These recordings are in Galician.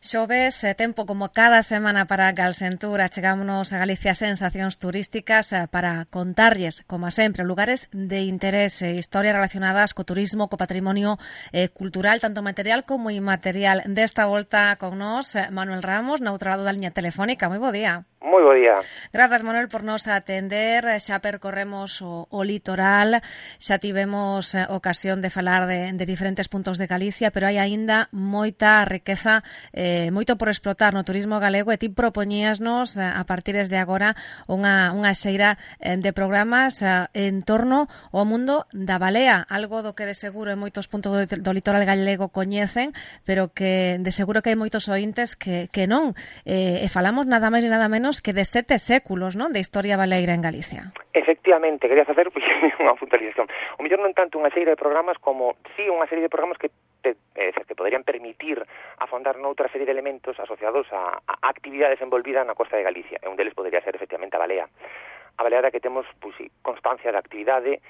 Xoves, tempo como cada semana para Galsentura. Chegámonos a Galicia Sensacións Turísticas para contarlles, como sempre, lugares de interés e historias relacionadas co turismo, co patrimonio cultural, tanto material como inmaterial. Desta volta con nós, Manuel Ramos, na outra lado da liña telefónica. Moi bo día. Moi bo día. Grazas, Manuel, por nos atender. Xa percorremos o litoral, xa tivemos ocasión de falar de diferentes puntos de Galicia, pero hai aínda moita riqueza, moito por explotar no turismo galego, e ti propoñíasnos a partir de agora unha xeira de programas en torno ao mundo da balea, algo do que de seguro en moitos puntos do litoral galego coñecen, pero que de seguro que hai moitos ointes que non. E falamos nada máis e nada menos que de 7 séculos, non, de historia baleira en Galicia. Efectivamente, quería facer unha puntualización. O mellor non tanto unha serie de programas como unha serie de programas que podrían permitir afondar noutra serie de elementos asociados a actividades envolvidas na costa de Galicia. E un deles podría ser efectivamente a balea. A baleada que temos constancia de actividade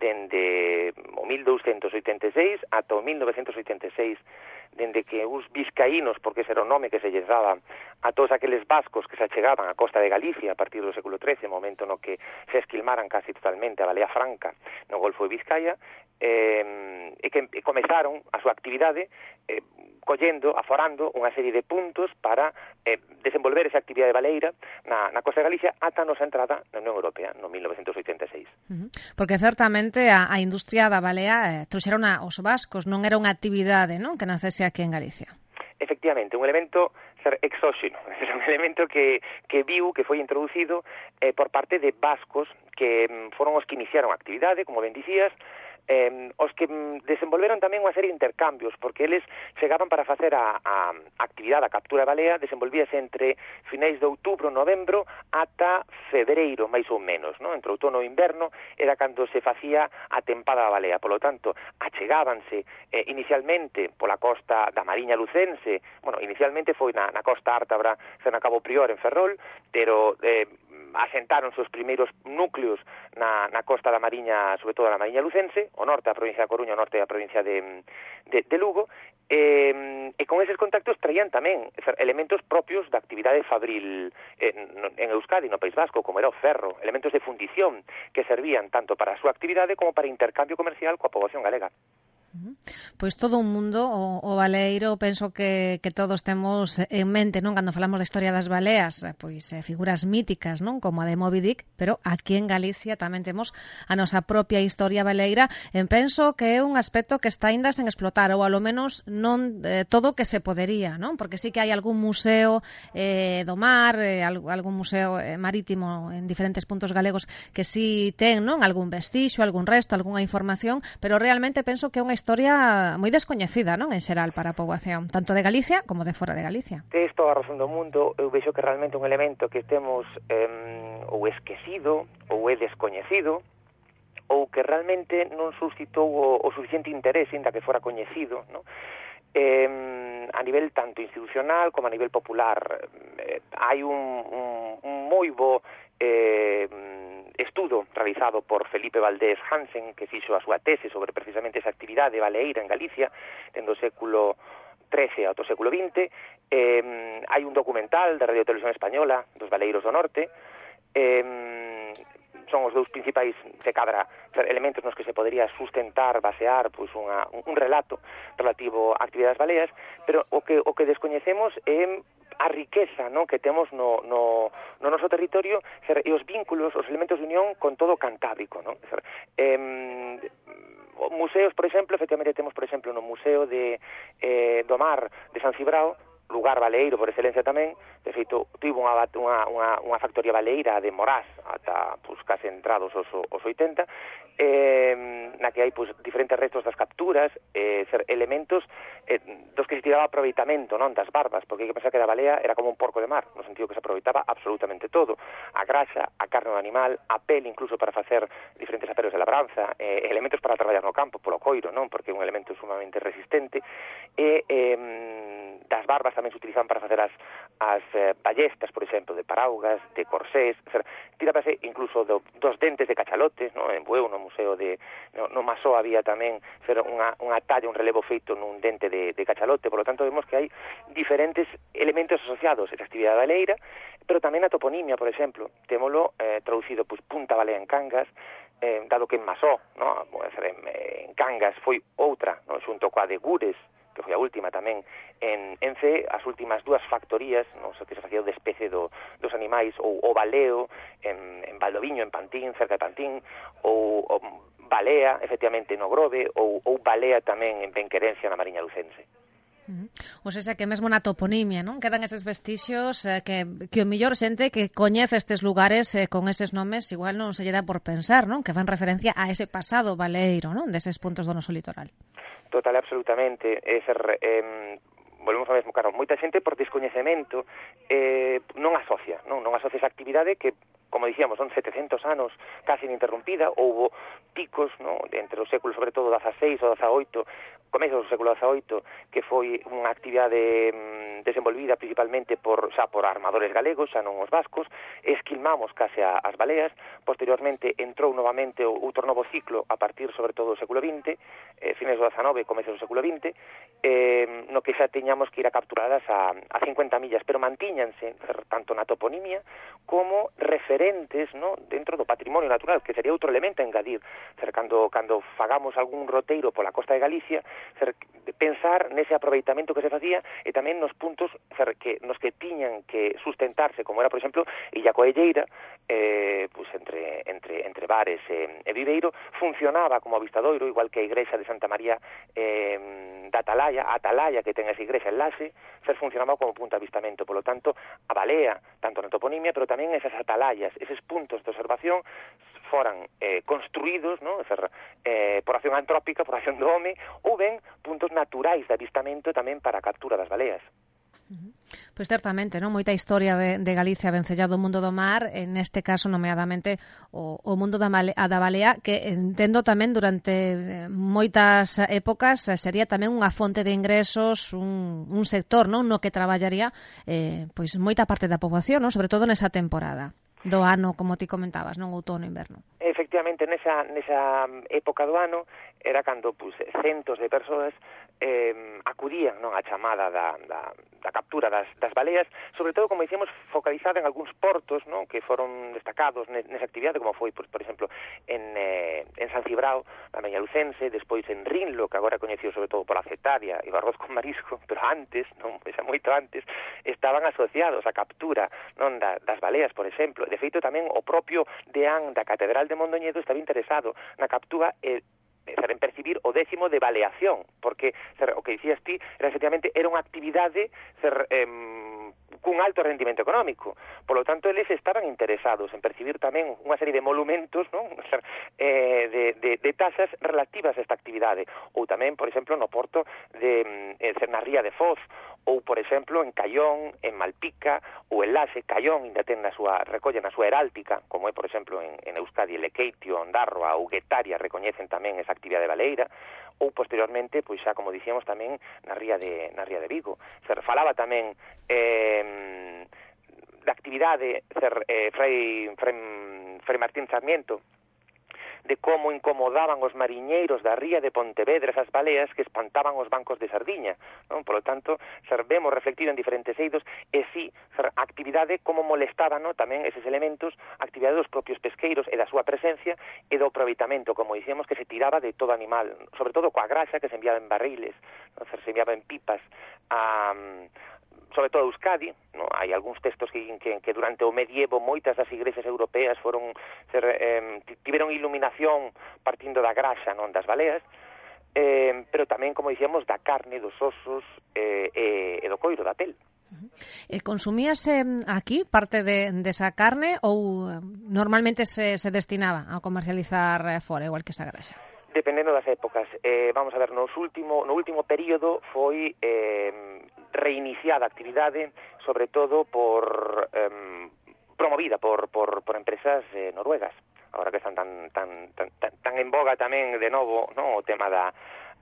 dende o 1286 ata o 1986, dende que os vizcaínos, porque ese era o nome que se lles daba a todos aqueles vascos que se achegaban á costa de Galicia a partir do século XIII, momento no que se esquilmaran casi totalmente a balea franca no Golfo de Vizcaya, e que comezaron a súa actividade aforando unha serie de puntos para desenvolver esa actividade baleira na costa de Galicia ata a nosa entrada na Unión Europea no 1986. Porque certamente a industria da balea trouxeron os vascos, non era unha actividade, non, que nacese aquí en Galicia. Efectivamente, un elemento exóxeno, un elemento que foi introducido por parte de vascos que foron os que iniciaron a actividade, como ben dicías, os que desenvolveron tamén unha serie de intercambios, porque eles chegaban para facer a actividade, a captura de balea, desenvolvíase entre finais de outubro, novembro, ata febreiro, máis ou menos, non? Entre outono e inverno era cando se facía a tempada da balea. Polo tanto, achegábanse inicialmente pola costa da Mariña Lucense, inicialmente foi na costa ártabra, na Cabo Prior, en Ferrol, pero asentáronse os primeiros núcleos na costa da Mariña, sobre todo da Mariña Lucense, o norte da provincia da Coruña, o norte da provincia de Lugo, e con eses contactos traían tamén elementos propios da actividade fabril en Euskadi, no País Vasco, como era o ferro, elementos de fundición que servían tanto para a súa actividade como para intercambio comercial coa poboación galega. Pois todo un mundo, o baleiro, penso que todos temos en mente, non, cando falamos da historia das baleas, pois figuras míticas, non, como a de Moby Dick, pero aquí en Galicia tamén temos a nosa propia historia baleira, e penso que é un aspecto que está aínda sen explotar, ou alo menos non todo o que se podería, non, porque sí que hai algún museo do mar, algún museo marítimo en diferentes puntos galegos que sí ten, non, algún vestixo, algún resto, algunha información, pero realmente penso que é unha historia moi descoñecida, non, en xeral para a poboación, tanto de Galicia como de fora de Galicia. Tes toda a razón do mundo. Eu vexo que realmente un elemento que temos ou esquecido ou é descoñecido, ou que realmente non suscitou o suficiente interés inda que fora coñecido, non? A nivel tanto institucional como a nivel popular. Hai un moi bo estudo realizado por Felipe Valdés Hansen, que fixo a súa tese sobre precisamente esa actividade baleeira en Galicia dende o século XIII ao século XX. Hai un documental da Radio Televisión Española dos baleiros do norte. Son os dous principais, se cadra, elementos nos que se podería sustentar, basear un relato relativo a actividades baleas, pero o que descoñecemos é a riqueza, non, que temos no noso territorio e os vínculos, os elementos de unión con todo o Cantábrico, non? Museos, por exemplo, efectivamente temos, por exemplo, no Museo do Mar de San Cibrao, lugar baleiro por excelencia tamén. De feito, tivo unha factoría baleira de Morás ata case entrados os 80, na que hai diferentes restos das capturas, elementos dos que se tiraba aproveitamento, non, das barbas, porque hai que pensar que a balea era como un porco de mar, no sentido que se aproveitaba absolutamente todo, a graxa, a carne do animal, a pel incluso para facer diferentes aperos de labranza, elementos para traballar no campo polo coiro, non, porque é un elemento sumamente resistente, e das barbas tamén se utilizaban para facer as ballestas, por exemplo, de paraugas, de corsés, tirábase incluso dos dentes de cachalotes, no? En Bueu, no museo no Masó había tamén unha talla, un relevo feito nun dente de cachalote. Por lo tanto vemos que hai diferentes elementos asociados a esta actividade baleira, pero tamén a toponimia, por exemplo, témolo traducido Punta Balea en Cangas, dado que en Masó, no? En Cangas foi outra, no? Xunto coa de Gures, que foi a última tamén en Cee, as últimas dúas factorías, non sei que se facía o despece dos animais, ou o baleo en Valdoviño, en Pantín, cerca de Pantín, ou balea, efectivamente, no Grove, ou balea tamén en Benquerencia, na Mariña Lucense. O sea, que mesmo na toponimia, non? Quedan eses vestixios que o mellor xente que coñece estes lugares con eses nomes igual non se lle dá por pensar, non? Que fan referencia a ese pasado baleiro, non? Deses puntos do noso litoral. Total, absolutamente. Volvemos ao mesmo, claro, moita xente por descoñecemento non asocia esa actividade que, como dicíamos, son 700 anos casi ininterrumpida. Houbo picos, no? Entre os séculos, sobre todo, XVI ou XVIII, comezos do século XVIII, que foi unha actividade desenvolvida principalmente por armadores galegos, xa non os vascos, esquilmamos case as baleas. Posteriormente entrou novamente outro novo ciclo a partir, sobre todo, do século XX, fines do XIX, comezos do século XX, no que xa teñamos que ir a capturadas a 50 millas, pero mantíñanse tanto na toponimia como referentes, no? Dentro do patrimonio natural, que sería outro elemento a engadir. Cando fagamos algún roteiro pola costa de Galicia, pensar nese aproveitamento que se facía e tamén nos puntos nos que tiñan que sustentarse, como era, por exemplo, Illa Coelleira, entre Bares e Viveiro, funcionaba como avistadoiro, igual que a igrexa de Santa María da Atalaya, que ten esa igrexa en Laxe, funcionaba como punto de avistamento. Por lo tanto, a balea, tanto na toponimia, pero tamén esas atalayas, eses puntos de observación foran construídos, ¿no? Por acción antrópica, por acción do home, ou ben puntos naturais de avistamento tamén para a captura das baleas. Pois certamente, non? Moita historia de Galicia vencellado ao mundo do mar, neste caso nomeadamente o mundo da balea, que entendo tamén durante moitas épocas sería tamén unha fonte de ingresos, un sector, non? No que traballaría pois moita parte da poboación, non? Sobre todo nesa temporada do ano, como ti comentabas, non? Outono, inverno. Efectivamente, nesa época do ano era cando centos de persoas acudían, non, a chamada da captura das baleas, sobre todo, como dicíamos, focalizada en algúns portos, non, que foron destacados nesa actividade, como foi, por exemplo, en San Cibrao, na Mariña Lucense, despois en Rinlo, que agora é coñecido sobre todo pola cetaria e o arroz con marisco, pero antes, non, moito antes, estaban asociados á captura, non, das baleas, por exemplo. De feito, tamén o propio deán da Catedral de Mondoñedo estaba interesado na captura en percibir o 10º de baleación, porque o que dicías ti efectivamente era unha actividade cun alto rendimento económico. Por lo tanto, eles estaban interesados en percibir tamén unha serie de monumentos, non? De tasas relativas a esta actividade. Ou tamén, por exemplo, no porto na Ría de Foz, ou, por exemplo, en Caión, en Malpica, ou en Laxe. Caión ainda ten recolle na súa heráltica, como é, por exemplo, en Euskadi, Lequeitio, Ondarroa ou Guetaria, recoñecen tamén esa actividade baleira, ou posteriormente, pois xa, como dicíamos, tamén na Ría de Vigo. Falaba tamén da actividade Fray Martín Sarmiento, de como incomodaban os mariñeiros da ría de Pontevedra esas baleas que espantaban os bancos de sardiña, non? Por lo tanto, vemos reflectido en diferentes eidos e si a actividade como molestaba, non? Tamén eses elementos, a actividade dos propios pesqueiros e da súa presencia e do aproveitamento, como dicíamos, que se tiraba de todo animal, sobre todo coa grasa que se enviaba en barriles, non? Se enviaba en pipas sobre todo Euskadi, no? Hai algúns textos que durante o medievo moitas das igrexas europeas tiveron iluminación partindo da graxa, non, das baleas, pero tamén, como dicíamos, da carne, dos osos e do coiro, da pel. Consumíase aquí parte desa carne ou normalmente se destinaba a comercializar fora, igual que esa graxa? Dependendo das épocas. Vamos a ver, no último período foi reiniciada a actividade, sobre todo promovida por empresas noruegas, agora que están tan en boga tamén de novo, no, o tema da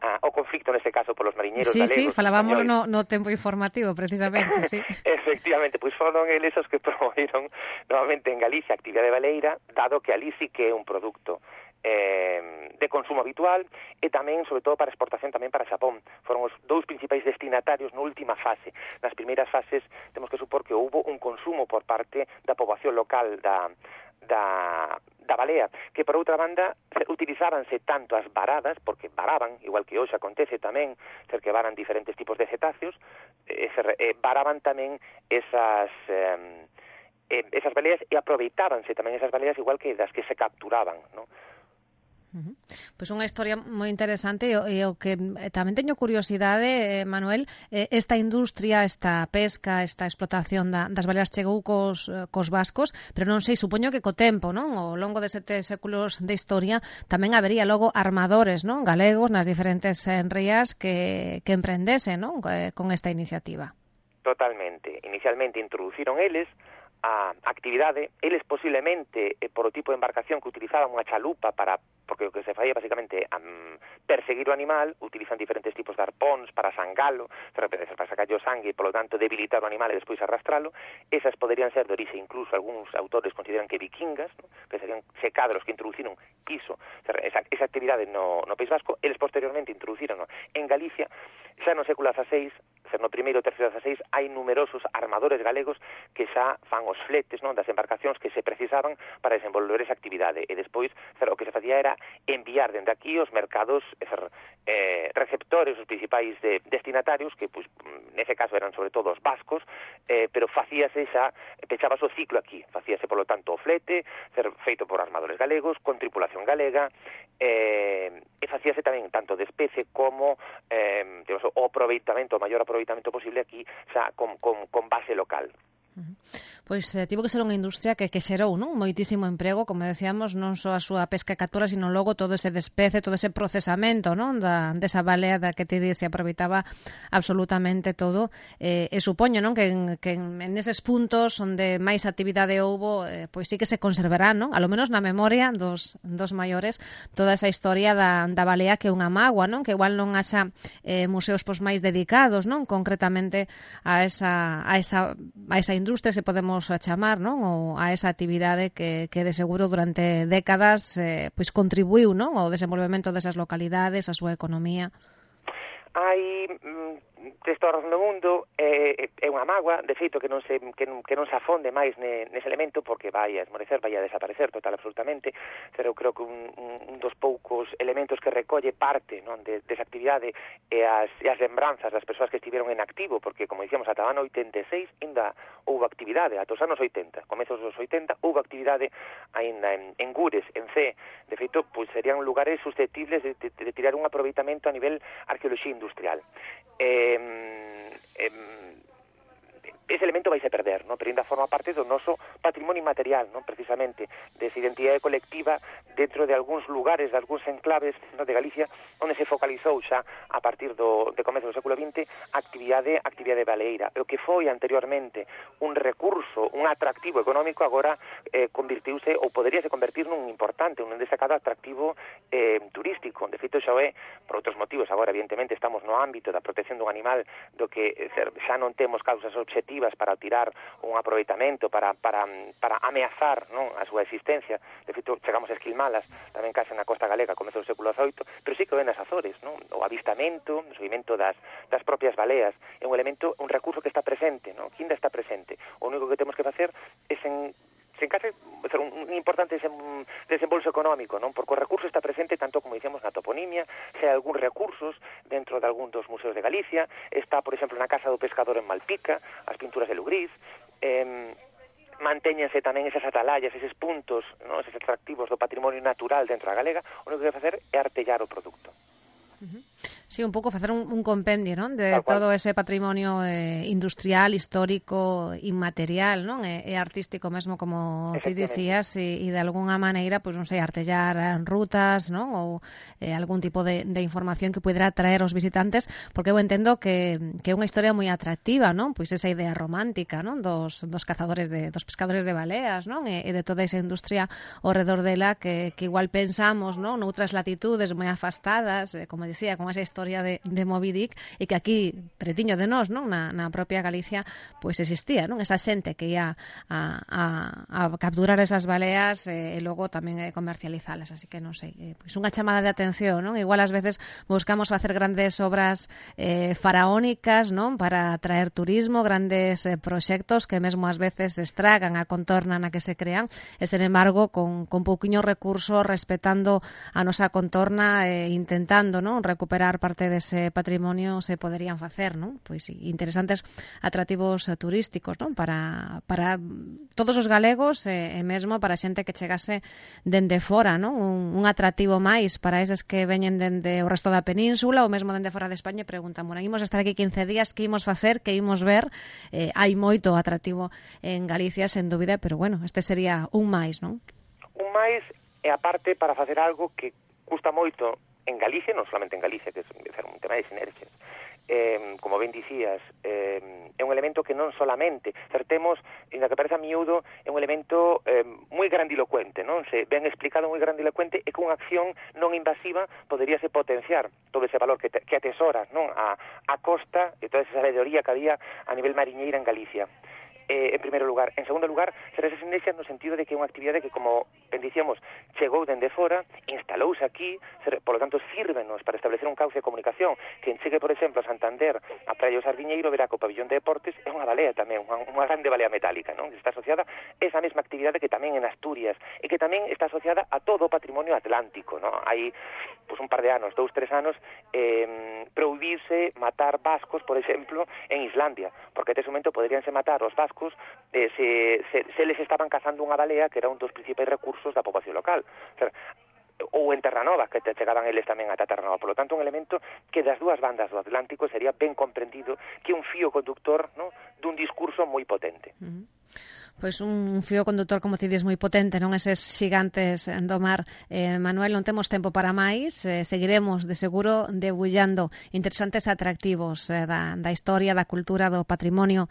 o conflicto neste caso polos mariñeiros galegos. Sí, falábamos no tempo informativo, precisamente, sí. Efectivamente, pois foron eles os que promoveron novamente en Galicia a actividade baleira, dado que ali sí que é un produto de consumo habitual e tamén, sobre todo, para exportación tamén para Xapón. Foron os dous principais destinatarios na última fase. Nas primeiras fases temos que supor que houbo un consumo por parte da poboación local da balea, que por outra banda utilizábanse tanto as varadas, porque varaban, igual que hoxe acontece tamén, ser que varan diferentes tipos de cetáceos, varaban tamén esas baleas e aproveitábanse tamén esas baleas igual que das que se capturaban, non? Pois unha historia moi interesante e o que tamén teño curiosidade, Manuel, esta industria, esta pesca, esta explotación das baleas chegou cos vascos, pero non sei, supoño que co tempo, non? Ao longo de 7 séculos de historia tamén habería logo armadores, non? Galegos nas diferentes rías que emprendesen, non? Con esta iniciativa. Totalmente. Inicialmente introduciron eles a actividade, eles posiblemente por o tipo de embarcación que utilizaban unha chalupa porque o que se faía basicamente perseguir o animal, utilizan diferentes tipos de arpóns para sangalo, para sacarlle o sangue e polo tanto debilitar o animal e despois arrastralo. Esas poderían ser de orixe, incluso algúns autores consideran que vikingas, ¿no? Que serían secadros que introduciron quiso esa actividade no País Vasco. Eles posteriormente introduciron en Galicia. Xa no século XVI, no primeiro e terceiro XVI, hai numerosos armadores galegos que xa fan os fletes, non, das embarcacións que se precisaban para desenvolver esa actividade. E despois, o que se facía era enviar dende aquí os mercados, receptores, os principais destinatarios, que, pois, nese caso eran sobre todo os vascos, pero facíase xa, pechabas o ciclo aquí, facíase, polo tanto, o flete, feito por armadores galegos, con tripulación galega, e facíase tamén tanto de especie como o aproveitamento, o maior aproveitamento posible aquí xa con base local. Pois tivo que ser unha industria que xerou, non, moitísimo emprego, como decíamos, non só a súa pesca e captura, sino logo todo ese despece, todo ese procesamento, non, desa balea da que te se aproveitaba absolutamente todo, e supoño, non, que en eses puntos onde máis actividade houbo, pois sí que se conservará, non, a lo menos na memoria dos maiores, toda esa historia da balea que é unha mágoa, non, que igual non haxa museos pois máis dedicados, non, concretamente a esa industria, se podemos chamar, non, ou a esa actividade que de seguro durante décadas pois contribuiu, non, ao desenvolvemento desas localidades, a súa economía. Hai texto a razón do mundo, é unha mágoa, de feito que non se afonde máis nese elemento, porque vai a esmorecer, vai a desaparecer total absolutamente, pero eu creo que un dos poucos elementos que recolle parte, non, desa actividade e as lembranzas das persoas que estiveron en activo, porque, como dicíamos, ata o ano 86 ainda houve actividade, ata os anos 80, comezos dos 80, houve actividade ainda en Gures, en Cee. De feito, pois serían lugares susceptibles de tirar un aproveitamento a nivel arqueoloxía industrial. Ese elemento vaise perder, non? Pero ainda forma parte do noso patrimonio inmaterial, non? Precisamente, desa identidade colectiva dentro de algúns lugares, de algúns enclaves, non, de Galicia, onde se focalizou xa a partir de comezo do século XX actividade baleeira. O que foi anteriormente un recurso, un atractivo económico, agora convirtiuse, ou poderíase convertir nun importante, un destacado atractivo turístico. De feito, xa é, por outros motivos, agora evidentemente estamos no ámbito da protección dun animal do que xa non temos causas obxectivas para tirar un aproveitamento, para ameazar, non, a súa existencia. De feito, chegamos a esquilmalas tamén case na costa galega comezo do século XVIII, pero sí que ven as Azores, non? O avistamento, o seguimento das propias baleas é un elemento, un recurso que está presente, non? Que ainda está presente. O único que temos que facer é sen case un importante desembolso económico, non? Porque o recurso está presente tanto, como dicíamos, na toponimia, se hai algúns recursos dentro de algún dos museos de Galicia, está, por exemplo, na Casa do Pescador en Malpica, as pinturas de Lugrís, mantéñense tamén esas atalayas, eses puntos, non, eses atractivos do patrimonio natural dentro da galega. O único que hai que facer é artellar o produto. Sí, un pouco facer un compendio, non? De todo ese patrimonio industrial, histórico, inmaterial, non? E artístico mesmo, como ti dicías, e de alguna maneira, pois non sei, artellar rutas, non? Ou algún tipo de información que pudera atraer aos visitantes, porque eu entendo que é unha historia moi atractiva, non? Pois esa idea romántica, non? Dos cazadores dos pescadores de baleas, non? E de toda esa industria ao redor dela que igual pensamos, non? Noutras latitudes moi afastadas, como dicía, con esa historia de Moby Dick, e que aquí, pretiño de nós, non? Na propia Galicia, pois existía, non? Esa xente que ia a capturar esas baleas e logo tamén comercializalas, así que non sei, pois unha chamada de atención, non? Igual ás veces buscamos facer grandes obras faraónicas, non? Para atraer turismo, grandes proxectos que mesmo ás veces estragan a contorna na que se crean, e sen embargo con pouquiño recurso, respetando a nosa contorna e intentando, non? Recuperar parte dese patrimonio se poderían facer, non? Pois sí, interesantes atractivos turísticos, non? Para todos os galegos e mesmo para xente que chegase dende fora, non? Un atractivo máis para eses que veñen dende o resto da península ou mesmo dende fora de España e preguntan, bueno, imos estar aquí 15 días, que imos facer, que imos ver? Hai moito atractivo en Galicia, sen dúbida, pero bueno, este sería un máis, non? Un máis e aparte para facer algo que custa moito en Galicia, non solamente en Galicia, que é un tema de sinerxias. Como ben dicías, é un elemento que non solamente temos, ainda que pareza miúdo, é un elemento moi grandilocuente, non? Se ben explicado, moi grandilocuente, e con unha acción non invasiva poderíase potenciar todo ese valor que atesoras, non? A costa e toda esa sabedoría que había a nivel mariñeira en Galicia. En primeiro lugar. En segundo lugar, será esa sinerxia no sentido de que é unha actividade que, como ben dicíamos, chegou dende fora, instalouse aquí, por lo tanto, sírvenos para establecer un cauce de comunicación. Quen chegue, por exemplo, a Santander, a Praia do Sardiñeiro, verá que o pabillón de deportes é unha balea tamén, unha grande balea metálica, non? Está asociada a esa mesma actividade que tamén en Asturias, e que tamén está asociada a todo o patrimonio atlántico, non? Hai un par de anos, 2-3 anos, prohibirse matar vascos, por exemplo, en Islandia, porque ese momento poderíanse matar os vascos se les estaban cazando unha balea que era un dos principais recursos da poboación local. Ou en Terranova, que chegaban eles tamén ata Terranova. Por lo tanto, un elemento que das dúas bandas do Atlántico sería ben comprendido, que un fío conductor, ¿no?, dun discurso moi potente. Pois un fío conductor, como ti dis, moi potente, non? Eses xigantes do mar. Manuel, non temos tempo para máis, seguiremos de seguro debullando interesantes atractivos da historia, da cultura, do patrimonio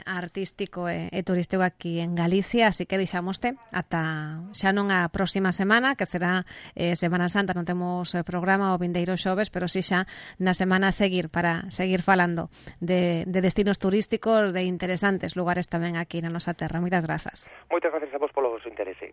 artístico e turístico aquí en Galicia, así que deixamoste ata xa non a próxima semana, que será Semana Santa. Non temos programa o vindeiro xoves, pero si xa na semana a seguir, para seguir falando de destinos turísticos, de interesantes lugares tamén aquí na nosa terra. Moitas grazas. Moitas grazas a vos polo vosso interese.